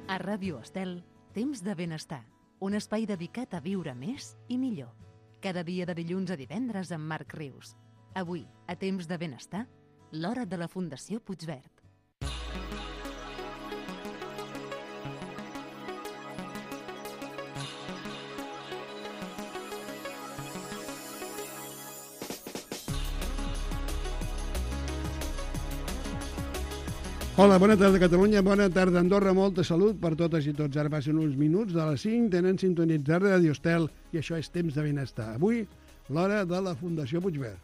A Ràdio Estel, Temps de Benestar, un espai dedicat a viure més i millor. Cada dia de dilluns a divendres amb Marc Rius. Avui, a Temps de Benestar, l'hora de la Fundació Puigverd. Hola, bona tarda Catalunya, bona tarda Andorra, molta salut per totes i tots. Ara passen uns minuts de les 5, tenen sintonitzat Ràdio Estel i això és Temps de Benestar. Avui, l'hora de la Fundació Puigverd.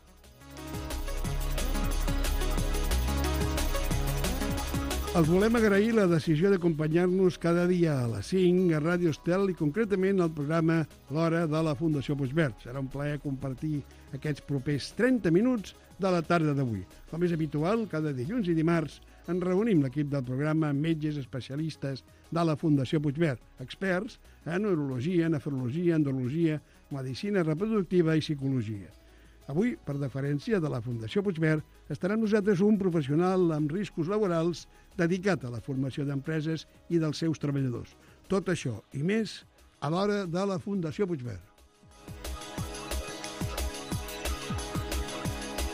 Els volem agrair la decisió d'acompanyar-nos cada dia a les 5 a Ràdio Estel i concretament al programa L'Hora de la Fundació Puigverd. Serà un plaer compartir aquests propers 30 minuts de la tarda d'avui. Com és habitual, cada dilluns i dimarts ens reunim l'equip del programa amb metges especialistes de la Fundació Puigverd, experts en neurologia, nefrologia, endologia, medicina reproductiva i psicologia. Avui, per deferència de la Fundació Puigverd, estarà amb nosaltres un professional amb riscos laborals dedicat a la formació d'empreses i dels seus treballadors. Tot això i més a l'hora de la Fundació Puigverd.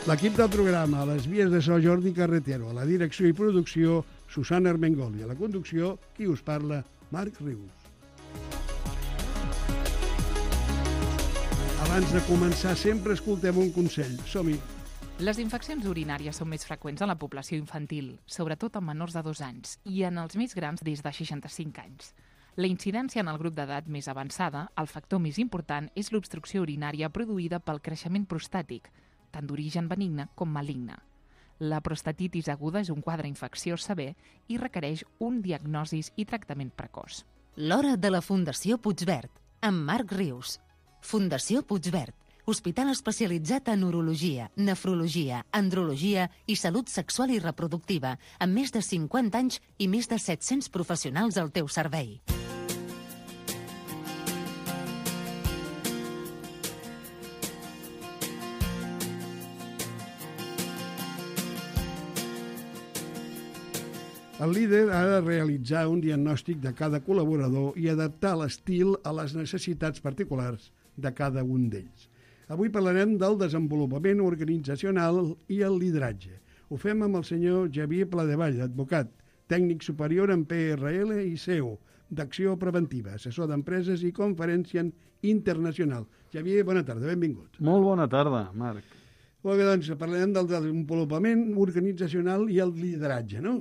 L'equip del programa, a les vies de so Jordi Carretero, a la direcció i producció Susana Armengol i a la conducció, qui us parla, Marc Rius. Abans de començar, sempre escoltem un consell. Som-hi! Les infeccions urinàries són més freqüents en la població infantil, sobretot en menors de 2 anys, i en els més grans des de 65 anys. La incidència en el grup d'edat més avançada, el factor més important és l'obstrucció urinària produïda pel creixement prostàtic, tant d'origen benigne com maligne. La prostatitis aguda és un quadre infecciós sever i requereix un diagnosi i tractament precoç. L'hora de la Fundació Puigverd, amb Marc Rius. Fundació Puigverd, hospital especialitzat en urologia, nefrologia, andrologia i salut sexual i reproductiva, amb més de 50 anys i més de 700 professionals al teu servei. El líder ha de realitzar un diagnòstic de cada col·laborador i adaptar l'estil a les necessitats particulars de cada un d'ells. Avui parlarem del desenvolupament organitzacional i el lideratge. Ho fem amb el senyor Xavier Pladevall, advocat, tècnic superior en PRL i CEO, d'acció preventiva, assessor d'empreses i conferència internacional. Xavier, bona tarda, benvingut. Molt bona tarda, Marc. Molt bé, doncs parlarem del desenvolupament organitzacional i el lideratge, no?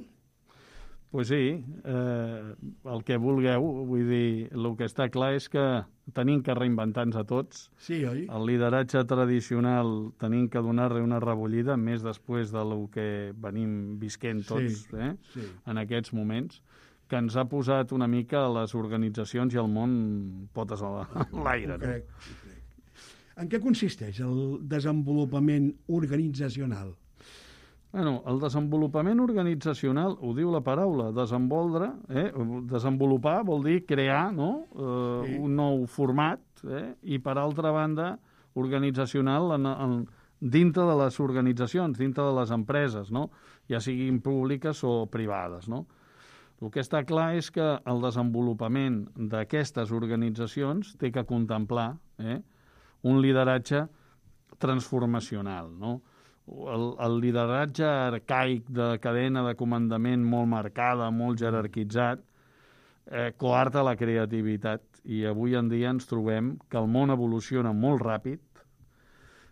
Pues sí, el que vulgueu, vull dir, el que està clar és que tenim que reinventar-nos a tots. Sí, oi? El lideratge tradicional tenim que donar-li una rebollida, més després del que venim visquent tots sí. En aquests moments, que ens ha posat una mica a les organitzacions i al món potes a l'aire. Ho crec. En què consisteix el desenvolupament organitzacional? Bueno, el desenvolupament organitzacional, ho diu la paraula, desenvolupar vol dir crear, no? Un nou format, i per altra banda, organitzacional dintre de les organitzacions, dintre de les empreses, no? Ja siguin públiques o privades, no? El que està clar és que el desenvolupament d'aquestes organitzacions té que contemplar un lideratge transformacional, no? El lideratge arcaic de cadena de comandament molt marcada, molt jerarquitzat, coarta la creativitat. I avui en dia ens trobem que el món evoluciona molt ràpid.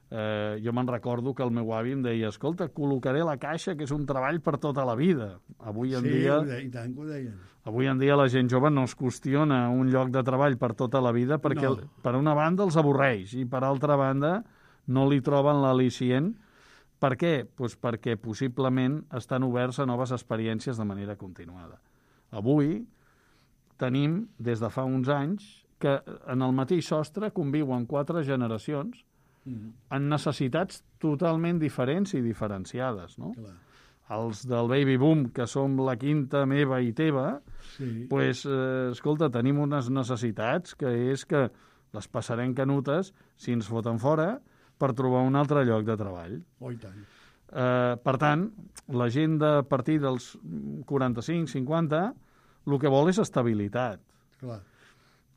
Jo me'n recordo que el meu avi em deia, escolta, col·locaré la caixa, que és un treball per tota la vida. Avui en dia, i tant que ho deien. Avui en dia la gent jove no es qüestiona un lloc de treball per tota la vida perquè, per una banda, els avorreix i, per altra banda, no li troben l'al·licient. Per què? Pues perquè possiblement estan oberts a noves experiències de manera continuada. Avui tenim, des de fa uns anys, que en el mateix sostre conviuen 4 generacions amb necessitats totalment diferents i diferenciades, no? Clar. Els del baby boom, que som la quinta meva i teva, pues, escolta, tenim unes necessitats que és que les passarem canutes si ens foten fora per trobar un altre lloc de treball. Oh, i tant. Per tant, la gent de partir dels 45-50 el que vol és estabilitat. Clar.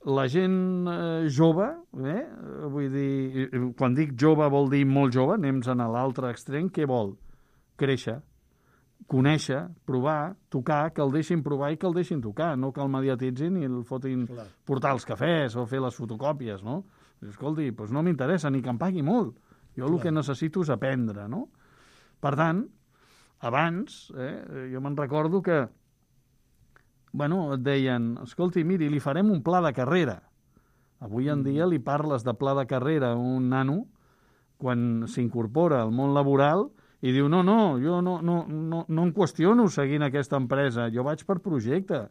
La gent jove, vull dir, quan dic jove vol dir molt jove, anem a l'altre extrem, què vol? Créixer, conèixer, provar, tocar, que el deixin provar i que el deixin tocar, no que el mediatitzin i el fotin portar els cafès o fer les fotocòpies, no? Escolti, doncs no m'interessa ni que em pagui molt. Jo el que necessito és aprendre, no? Per tant, abans, jo me'n recordo que et deien, escolti, miri, li farem un pla de carrera. Avui en dia li parles de pla de carrera a un nano quan s'incorpora al món laboral i diu, no, jo no em qüestiono seguint aquesta empresa, jo vaig per projecte.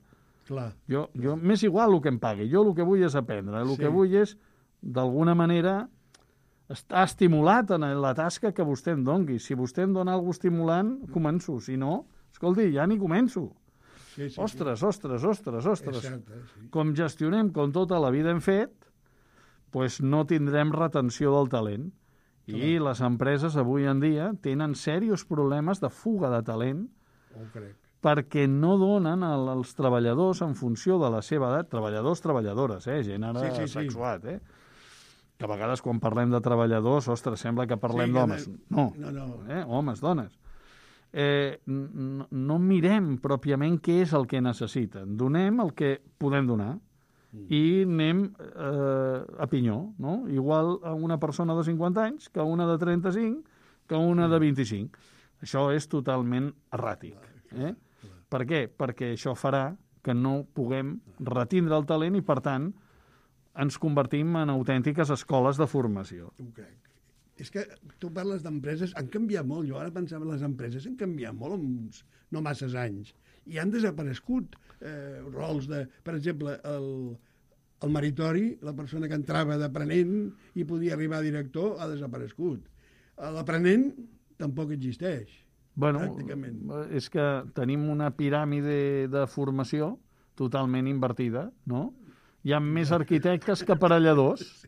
Clar. Jo m'és igual el que em pagui, jo el que vull és aprendre, el que vull és, d'alguna manera, estar estimulat en la tasca que vostè em dongui. Si vostè em dona alguna cosa estimulant, començo. Si no, escolti, ja ni començo. Ostres. Com gestionem, com tota la vida hem fet, doncs no tindrem retenció del talent. I les empreses avui en dia tenen serios problemes de fuga de talent perquè no donen als treballadors en funció de la seva edat, treballadores, gent ara sexuat, que a vegades quan parlem de treballadors, ostres, sembla que parlem d'homes. No, homes, dones. No mirem pròpiament què és el que necessiten. Donem el que podem donar i anem a pinyó, no? Igual a una persona de 50 anys que a una de 35 que a una de 25. Això és totalment erràtic. Per què? Perquè això farà que no puguem retindre el talent i, per tant, ens convertim en autèntiques escoles de formació. Ho crec. És que tu parles d'empreses, han canviat molt. Jo ara pensava que les empreses han canviat molt en uns no masses anys i han desaparegut rols de... Per exemple, el meritori, la persona que entrava d'aprenent i podia arribar a director, ha desaparegut. L'aprenent tampoc existeix, pràcticament. És que tenim una piràmide de formació totalment invertida, no? Hi ha més arquitectes que aparelladors.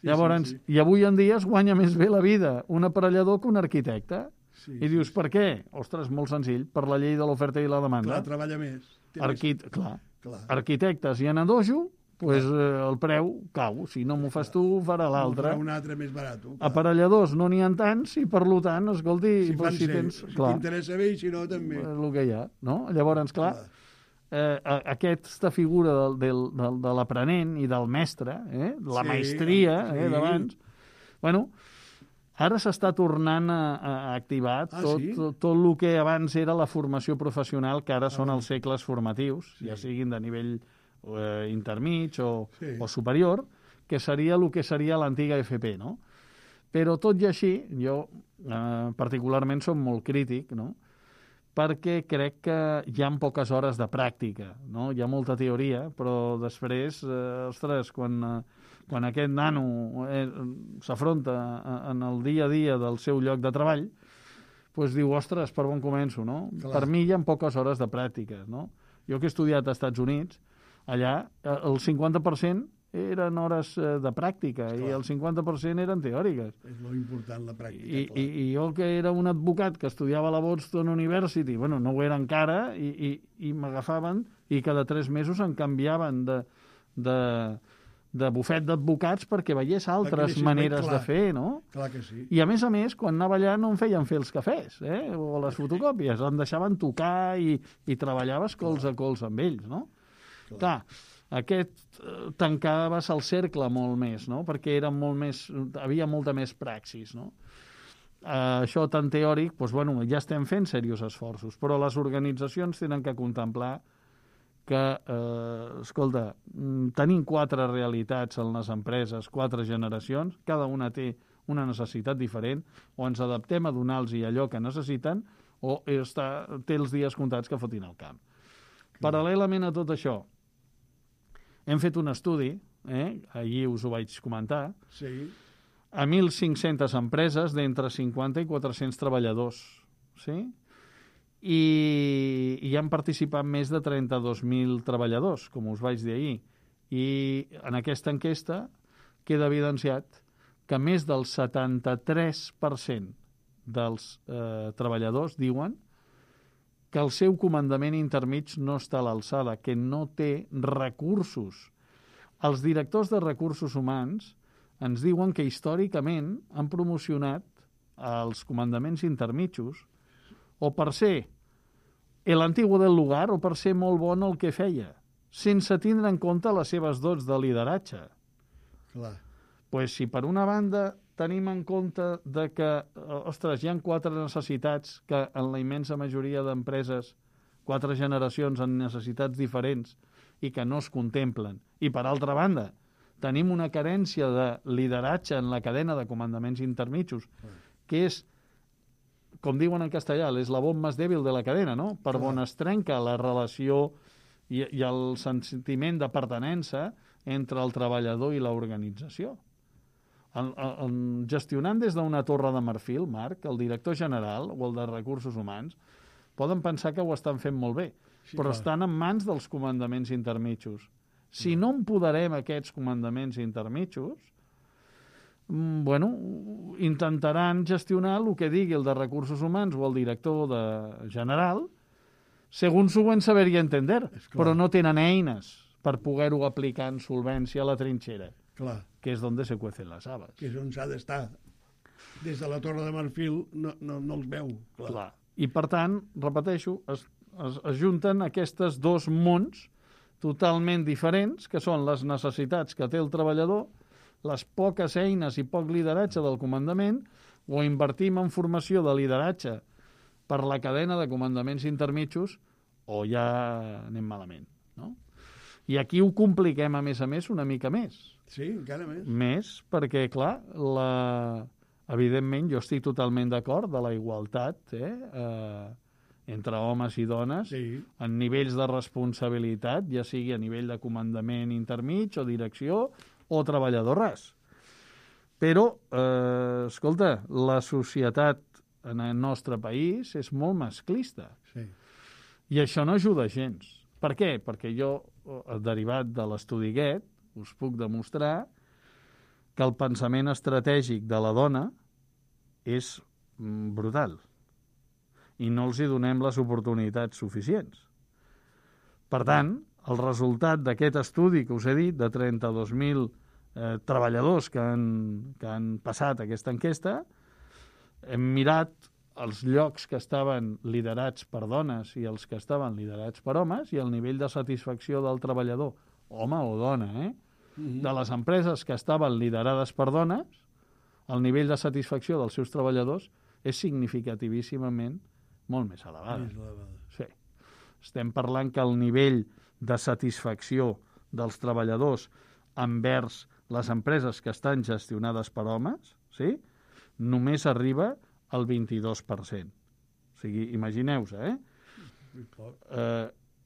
Llavors, i avui en dia es guanya més bé la vida un aparellador que un arquitecte. I dius, per què? Ostres, molt senzill, per la llei de l'oferta i la demanda. Clar, treballa més. Arquitectes i en dojo, el preu cau. Si no m'ho fas tu, ho farà l'altre. Un altre més barat. Aparelladors no n'hi ha tants i, per tant, escolti... Si t'interessa bé i si no, també. El que hi ha, no? Llavors, clar, aquesta figura de l'aprenent i del mestre, la maestria d'abans, ara s'està tornant a activar tot el que abans era la formació professional, que ara són els cicles formatius, ja siguin de nivell intermig o superior, que seria el que seria l'antiga FP, no? Però tot i així, jo particularment som molt crític, no?, perquè crec que hi ha poques hores de pràctica, no? Hi ha molta teoria, però després, ostres, quan aquest nano s'afronta en el dia a dia del seu lloc de treball, doncs diu, ostres, per on començo, no? Per mi hi ha poques hores de pràctica, no? Jo que he estudiat als Estats Units, allà el 50% eren hores de pràctica i el 50% eren teòriques. És molt important la pràctica. I jo, que era un advocat que estudiava a la Boston University, no ho era encara, i m'agafaven i cada 3 mesos em canviaven de bufet d'advocats perquè veiés altres maneres de fer, no? Clar que sí. I a més, quan anava allà no em feien fer els cafès, o les fotocòpies, em deixaven tocar i treballaves cols a cols amb ells, no? Clar, aquest tancaves el cercle molt més, no? Perquè era havia molta més praxis, no? Això tan teòric, ja estem fent serios esforços, però les organitzacions tenen que contemplar que, escolta, tenim 4 realitats en les empreses, 4 generacions, cada una té una necessitat diferent, o ens adaptem a donar-los allò que necessiten, o té els dies comptats que fotin al camp. Paral·lelament a tot això, hem fet un estudi, ahir us ho vaig comentar, a 1.500 empreses d'entre 50 i 400 treballadors, i hi han participat més de 32.000 treballadors, com us vaig dir ahir. I en aquesta enquesta queda evidenciat que més del 73% dels treballadors diuen que el seu comandament intermig no està a l'alçada, que no té recursos. Els directors de recursos humans ens diuen que històricament han promocionat els comandaments intermitjos o per ser l'antiguo del lugar o per ser molt bon el que feia, sense tindre en compte les seves dots de lideratge. Clar. Pues si per una banda tenim en compte de que, ostres, hi ha 4 necessitats que en la immensa majoria d'empreses, 4 generacions amb necessitats diferents i que no es contemplen. I per altra banda, tenim una carència de lideratge en la cadena de comandaments intermitjos, que és, com diuen en castellà, l'eslabón més dèbil de la cadena, no? Per on es trenca la relació i el sentiment de pertinença entre el treballador i l'organització. Gestionant des d'una torre de marfil, Marc, el director general o el de recursos humans poden pensar que ho estan fent molt bé, però estan en mans dels comandaments intermitjos. Si no empoderem aquests comandaments intermitjos, intentaran gestionar el que digui el de recursos humans o el director general segons ho van saber i entender, però no tenen eines per poder-ho aplicar en solvència a la trinxera, que és on se cuecen les habas. Que és on s'ha d'estar. Des de la Torre de Marfil no els veu. Clar. I, per tant, repeteixo, es junten aquests 2 mons totalment diferents, que són les necessitats que té el treballador, les poques eines i poc lideratge del comandament, o invertim en formació de lideratge per la cadena de comandaments intermitjos, o ja anem malament, no? I aquí ho compliquem, a més, una mica més. Sí, encara més. Més, perquè, clar, evidentment, jo estic totalment d'acord de la igualtat entre homes i dones en nivells de responsabilitat, ja sigui a nivell de comandament intermig o direcció o treballador ras. Però, escolta, la societat en el nostre país és molt masclista. Sí. I això no ajuda gens. Per què? Perquè jo, derivat de l'estudi aquest, us puc demostrar que el pensament estratègic de la dona és brutal i no els hi donem les oportunitats suficients. Per tant, el resultat d'aquest estudi que us he dit, de 32.000 treballadors que han passat aquesta enquesta, hem mirat els llocs que estaven liderats per dones i els que estaven liderats per homes i el nivell de satisfacció del treballador, home o dona, de les empreses que estaven liderades per dones, el nivell de satisfacció dels seus treballadors és significativíssimament molt més elevada. Sí. Estem parlant que el nivell de satisfacció dels treballadors envers les empreses que estan gestionades per homes, només arriba al 22%. O sigui, imagineu-vos,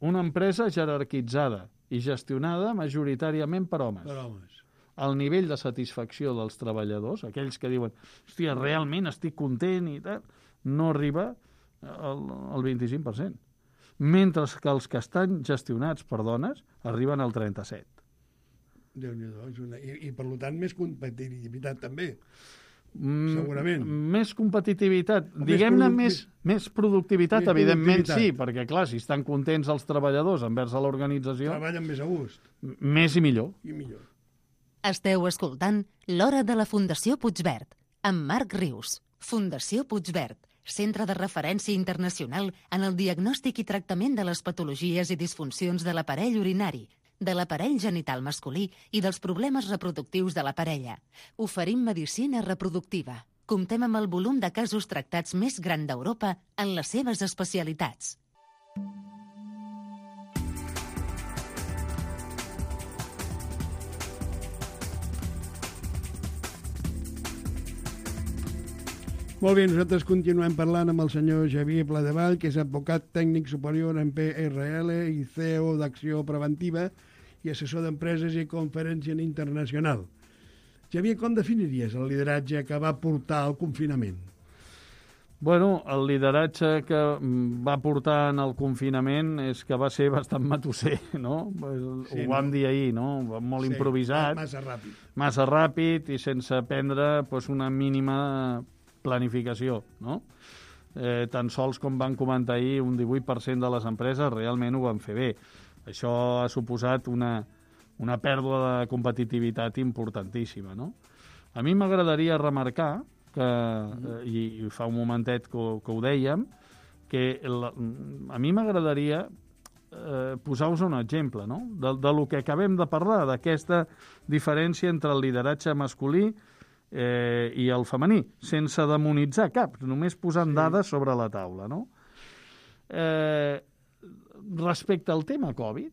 una empresa jerarquitzada i gestionada majoritàriament per homes. Per homes. El nivell de satisfacció dels treballadors, aquells que diuen, hòstia, realment estic content i tal, no arriba al 25%. Mentre que els que estan gestionats per dones arriben al 37%. Déu-n'hi-do. I per tant, més competitivitat també. Segurament. Més competitivitat, diguem-ne més productivitat, evidentment sí, perquè clar, si estan contents els treballadors envers a l'organització... Treballen més a gust. Més i millor. Esteu escoltant l'Hora de la Fundació Puigverd, amb Marc Rius. Fundació Puigverd, centre de referència internacional en el diagnòstic i tractament de les patologies i disfuncions de l'aparell urinari, de l'aparell genital masculí i dels problemes reproductius de la parella. Oferim medicina reproductiva. Comptem amb el volum de casos tractats més gran d'Europa en les seves especialitats. Molt bé, nosaltres continuem parlant amb el senyor Xavier Pladevall, que és advocat tècnic superior en PRL i CEO d'Acció Preventiva i assessor d'empreses i conferència internacional. Xavier, com definiries el lideratge que va portar al confinament? Bueno, el lideratge que va portar en el confinament és que va ser bastant matusser, no? Sí, ho vam dir ahir, no? Molt improvisat. Massa ràpid. Massa ràpid i sense prendre una mínima planificació, no? tan sols com van comentar ahir, un 18% de les empreses realment ho van fer bé. Això ha suposat una pèrdua de competitivitat importantíssima, no? A mi m'agradaria remarcar que, i fa un momentet que ho dèiem, que a mi m'agradaria posar-vos un exemple, no? De lo que acabem de parlar, d'aquesta diferència entre el lideratge masculí i el femení, sense demonitzar cap, només posant dades sobre la taula, no? Respecte al tema Covid,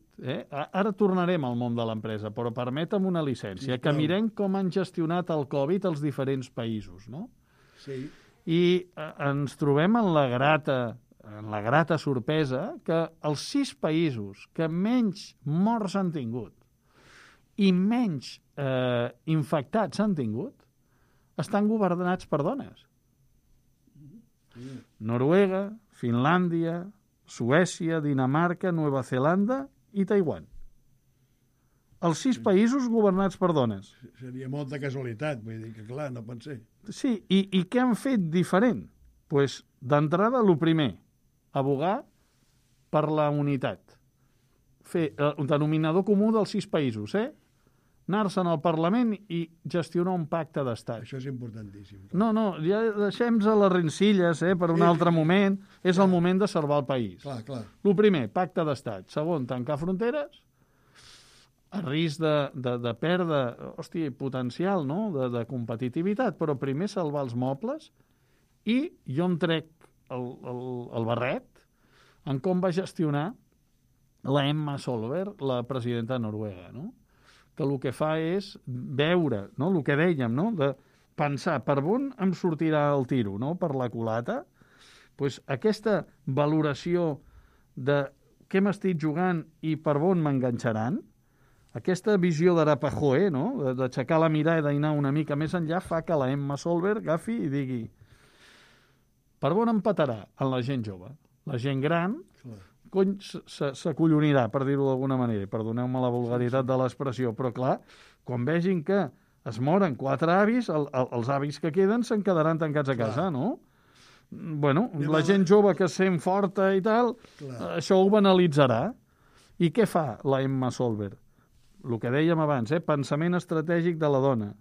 ara tornarem al món de l'empresa, però permetem una llicència, que mirem com han gestionat el Covid els diferents països, no? Sí. I ens trobem en la grata sorpresa que els 6 països que menys morts han tingut i menys infectats han tingut estan governats per dones. Noruega, Finlàndia, Suècia, Dinamarca, Nova Zelanda i Taiwan. Els 6 països governats per dones. Seria molta casualitat, vull dir que clar, no pot ser. Sí, i què han fet diferent? Pues, d'entrada, el primer, abogar per la unitat. Fer un denominador comú dels 6 països, anar-se'n al Parlament i gestionar un pacte d'estat. Això és importantíssim. No, ja deixem-nos les rencilles per un altre moment. És el moment de salvar el país. Clar. El primer, pacte d'estat. Segon, tancar fronteres, a risc de perdre, potencial, no?, de competitivitat, però primer salvar els mobles i jo em trec el barret en com va gestionar la Emma Solberg, la presidenta de Noruega, no?, que el que fa és veure, no?, el que dèiem, no?, de pensar per on em sortirà el tiro, no?, per la culata. Pues aquesta valoració de què m'estic jugant i per on m'enganxaran, aquesta visió d'Arapajoe, no?, d'aixecar la mirada i d'anar una mica més enllà, fa que la Emma Solberg agafi i digui per on empatarà en la gent jove. La gent gran cony s'acollonirà, per dir-ho d'alguna manera, perdoneu-me la vulgaritat de l'expressió, però clar, quan vegin que es moren 4 avis, els avis que queden se'n quedaran tancats a casa, no? Bueno, la gent jove que es sent forta i tal, això ho banalitzarà. I què fa la Emma Solberg? El que dèiem abans, pensament estratègic de la dona.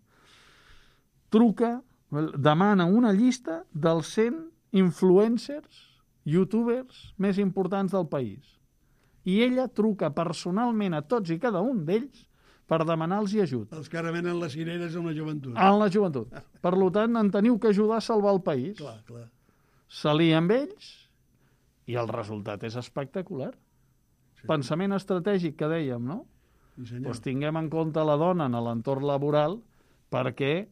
Truca, demana una llista dels 100 influencers, youtubers més importants del país. I ella truca personalment a tots i cada un d'ells per demanar-los ajut. Els que ara venen les cireres en la joventut. En la joventut. Per tant, en teniu que ajudar a salvar el país. Clar. S'alia amb ells i el resultat és espectacular. Sí. Pensament estratègic que dèiem, no? Sí, doncs tinguem en compte la dona en l'entorn laboral perquè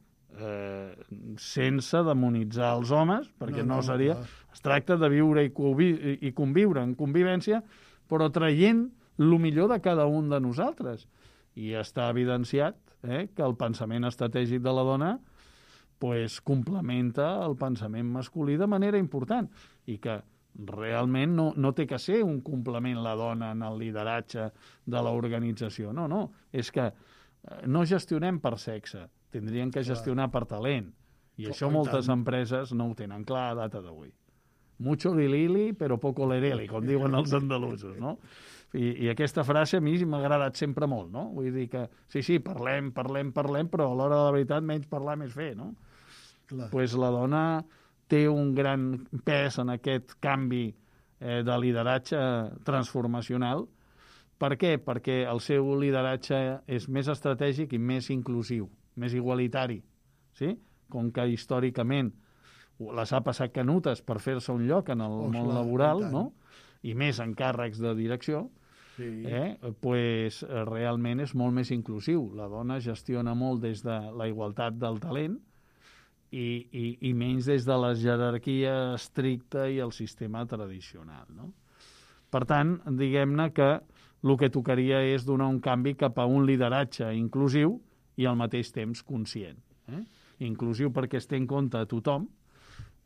sense demonitzar els homes, perquè no seria... Es tracta de viure i conviure en convivència, però traient el millor de cada un de nosaltres. I està evidenciat que el pensament estratègic de la dona complementa el pensament masculí de manera important i que realment no té que ser un complement la dona en el lideratge de l'organització. No, és que no gestionem per sexe, tindrien que gestionar per talent. I això moltes empreses no ho tenen clar a data d'avui. Mucho lilili, però poco lereli, com diuen els andalusos, no? I aquesta frase a mi m'ha agradat sempre molt, no? Vull dir que, sí, parlem, però a l'hora de la veritat menys parlar més fer, no? Doncs la dona té un gran pes en aquest canvi de lideratge transformacional. Per què? Perquè el seu lideratge és més estratègic i més inclusiu, més igualitari, sí? Com que històricament les ha passat canutes per fer-se un lloc en el món laboral, no? I més en càrrecs de direcció, pues realment és molt més inclusiu. La dona gestiona molt des de la igualtat del talent i menys des de la jerarquia estricta i el sistema tradicional, no? Per tant, diguem-ne que el que tocaria és donar un canvi cap a un lideratge inclusiu i al mateix temps conscient. Inclusiu perquè es té en compte a tothom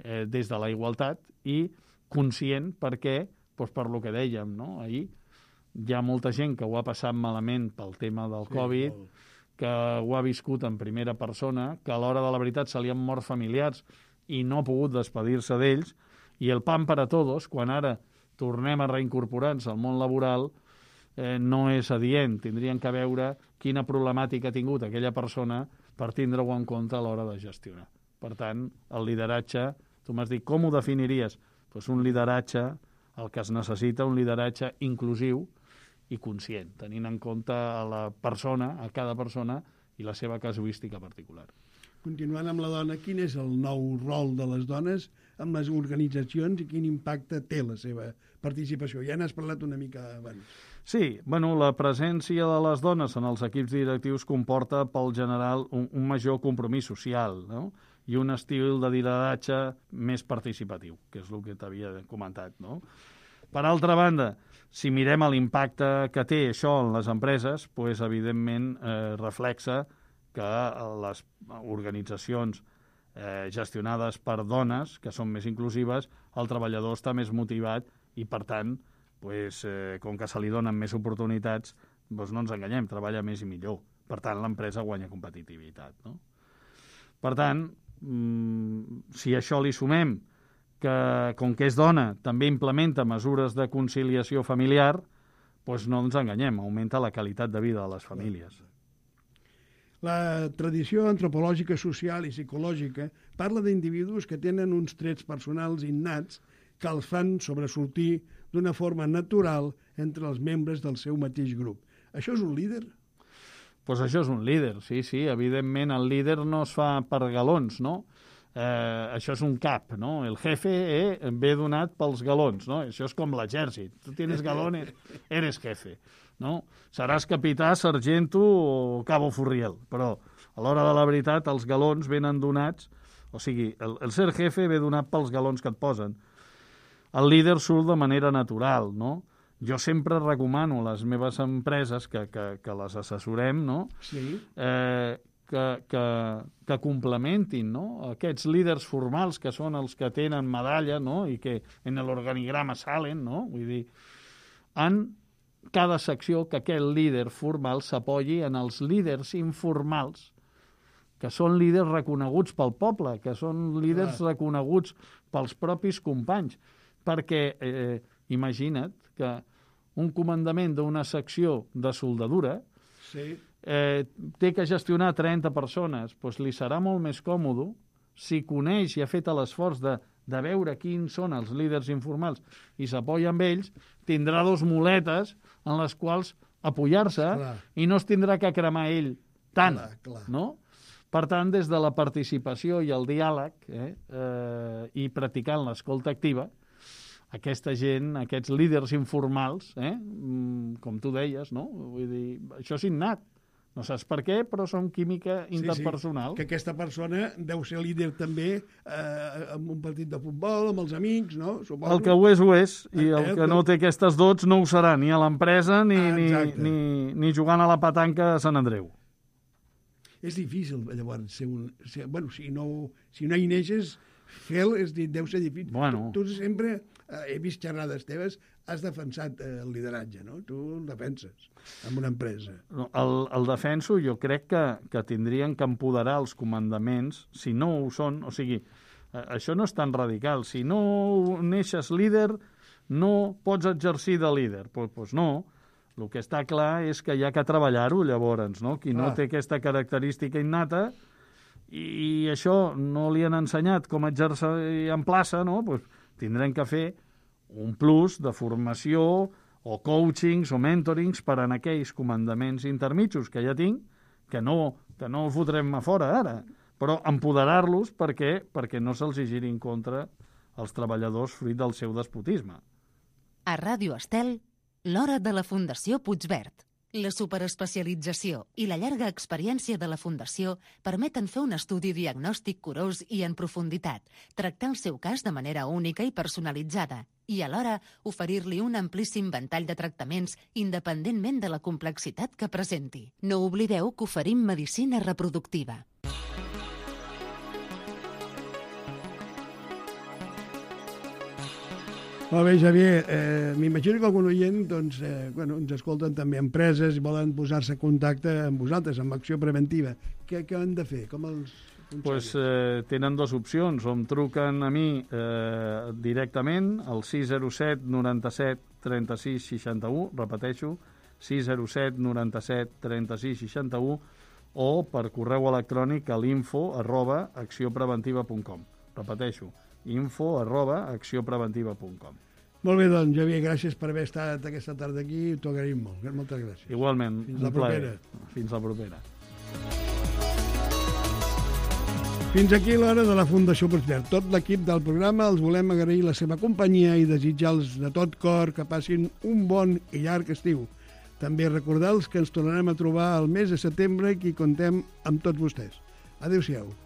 des de la igualtat i conscient perquè, per lo que dèiem, no? Ahir hi ha molta gent que ho ha passat malament pel tema del Covid, que ho ha viscut en primera persona, que a l'hora de la veritat se li han mort familiars i no ha pogut despedir-se d'ells, I el pan para todos, quan ara tornem a reincorporar-nos al món laboral, no és adient. Tindrien que veure quina problemàtica ha tingut aquella persona per tindre-ho en compte a l'hora de gestionar. Per tant, el lideratge, tu m'has dit, com ho definiries? Doncs un lideratge, el que es necessita, un lideratge inclusiu i conscient, tenint en compte a la persona, a cada persona i la seva casuística particular. Continuant amb la dona, quin és el nou rol de les dones amb les organitzacions i quin impacte té la seva participació? Ja n'has parlat una mica abans. Sí, bueno, la presència de les dones en els equips directius comporta pel general un major compromís social, no? I un estil de lideratge més participatiu, que és el que t'havia comentat, no? Per altra banda, si mirem l'impacte que té això en les empreses, doncs, evidentment, reflexa que les organitzacions gestionades per dones, que són més inclusives, el treballador està més motivat i, per tant, com que se li donen més oportunitats, no ens enganyem, treballa més i millor. Per tant, l'empresa guanya competitivitat, no? Per tant, si a això li sumem que, com que és dona, també implementa mesures de conciliació familiar, doncs no ens enganyem, augmenta la qualitat de vida de les famílies. La tradició antropològica, social i psicològica parla d'individus que tenen uns trets personals innats que els fan sobresortir d'una forma natural entre els membres del seu mateix grup. Això és un líder? Doncs això és un líder, sí. Evidentment, el líder no es fa per galons, no? Això és un cap, no? El jefe ve donat pels galons, no? Això és com l'exèrcit. Tu tienes galones, eres jefe, no? Seràs capità, sargento o cabo furriel, però a l'hora de la veritat els galons venen donats, o sigui, el ser jefe ve donat pels galons que et posen. El líder surt de manera natural, no? Jo sempre recomano a les meves empreses que les assessorem, no? Sí. Que complementin, no? Aquests líders formals que són els que tenen medalla, no? I que en l'organigrama salen, no? Vull dir, en cada secció que aquest líder formal s'apoyi en els líders informals, que són líders reconeguts pel poble, que són líders reconeguts pels propis companys. Perquè imagina't que un comandament d'una secció de soldadura té que gestionar 30 persones, doncs li serà molt més còmode si coneix i ha fet l'esforç de veure quins són els líders informals i s'apoya amb ells, tindrà dos muletes en les quals apoyar-se i no es tindrà que cremar ell tant, no? Per tant, des de la participació i el diàleg i practicant l'escolta activa, aquesta gent, aquests líders informals, com tu deies, no? Vull dir, això és innat. No saps per què, però són química interpersonal. Que aquesta persona deu ser líder també en un partit de futbol, amb els amics, no? Suposo. El que ho és, i el que no té aquestes dots no ho serà ni a l'empresa ni jugant a la petanca a Sant Andreu. És difícil, llavors, bueno, si no hi neixes, deu ser difícil. Bueno. Tu sempre, he vist xerrades teves, has defensat el lideratge, no? Tu el defenses en una empresa. No, el defenso, jo crec que tindrien que empoderar els comandaments, si no ho són, o sigui, això no és tan radical. Si no neixes líder, no pots exercir de líder. Doncs no. El que està clar és que hi ha que treballar-ho, llavors, no? Qui no té aquesta característica innata i això no li han ensenyat com exercir en plaça, no? Pues tindrem que fer un plus de formació o coachings o mentorings per a aquells comandaments intermitjos que ja tinc, que no els fotrem a fora ara, però empoderar-los perquè no se'ls giri en contra els treballadors fruit del seu despotisme. A Ràdio Estel, l'hora de la Fundació Puigverd. La superespecialització i la llarga experiència de la Fundació permeten fer un estudi diagnòstic curós i en profunditat, tractar el seu cas de manera única i personalitzada i, alhora, oferir-li un amplíssim ventall de tractaments independentment de la complexitat que presenti. No oblideu que oferim medicina reproductiva. Molt bé, Xavier. M'imagino que algun oient ens escolten també empreses i volen posar-se en contacte amb vosaltres, amb acció preventiva. Què han de fer? Com els Tenen dues opcions. O em truquen a mi directament al 607 97 36 61, repeteixo, 607 97 36 61, o per correu electrònic a l'info@accionpreventiva.com. Repeteixo, info@accionpreventiva.com. Molt bé, doncs, Javier, gràcies per haver estat aquesta tarda aquí. T'ho agraïm molt. Moltes gràcies. Igualment. Fins la propera. Fins la propera. Fins aquí l'hora de la Fundació Puigverd. Tot l'equip del programa els volem agrair la seva companyia i desitjar-los de tot cor que passin un bon i llarg estiu. També recordar-los que ens tornarem a trobar el mes de setembre i que contem amb tots vostès. Adéu-siau.